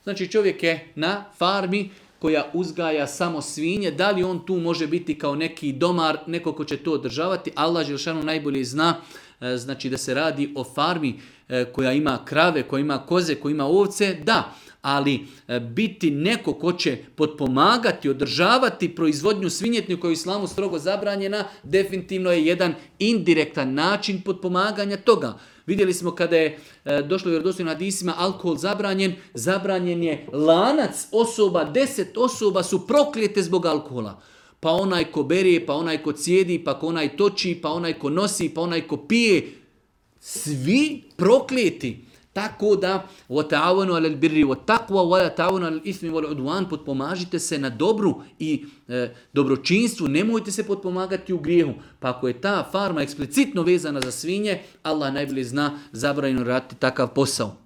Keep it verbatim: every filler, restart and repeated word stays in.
Znači čovjek je na farmi koja uzgaja samo svinje, da li on tu može biti kao neki domar, neko ko će to održavati, Allah dželešanu najbolje zna, znači da se radi o farmi koja ima krave, koja ima koze, koja ima ovce, da, ali biti neko ko će potpomagati, održavati proizvodnju svinjetine koja je u islamu strogo zabranjena, definitivno je jedan indirektan način potpomaganja toga. Vidjeli smo kada je e, došlo u vjerodostojnim hadisima alkohol zabranjen, zabranjen je lanac osoba, deset osoba su proklijete zbog alkohola. Pa onaj ko bere, pa onaj ko cijedi, pa onaj toči, pa onaj ko nosi, pa onaj ko pije. Svi proklijeti. Tako da, وَتَعَوَنُوا عَلَى الْبِرِّ وَالتَّقْوَى وَلَا تَعَوَنُوا عَلَى الْإِثْمِ وَالْعُدْوَانِ Potpomažite se na dobru i e, dobročinstvu, nemojte se potpomagati u grijehu. Pa ako je ta farma eksplicitno vezana za svinje, Allah najbolje zna zabranjeno raditi takav posao.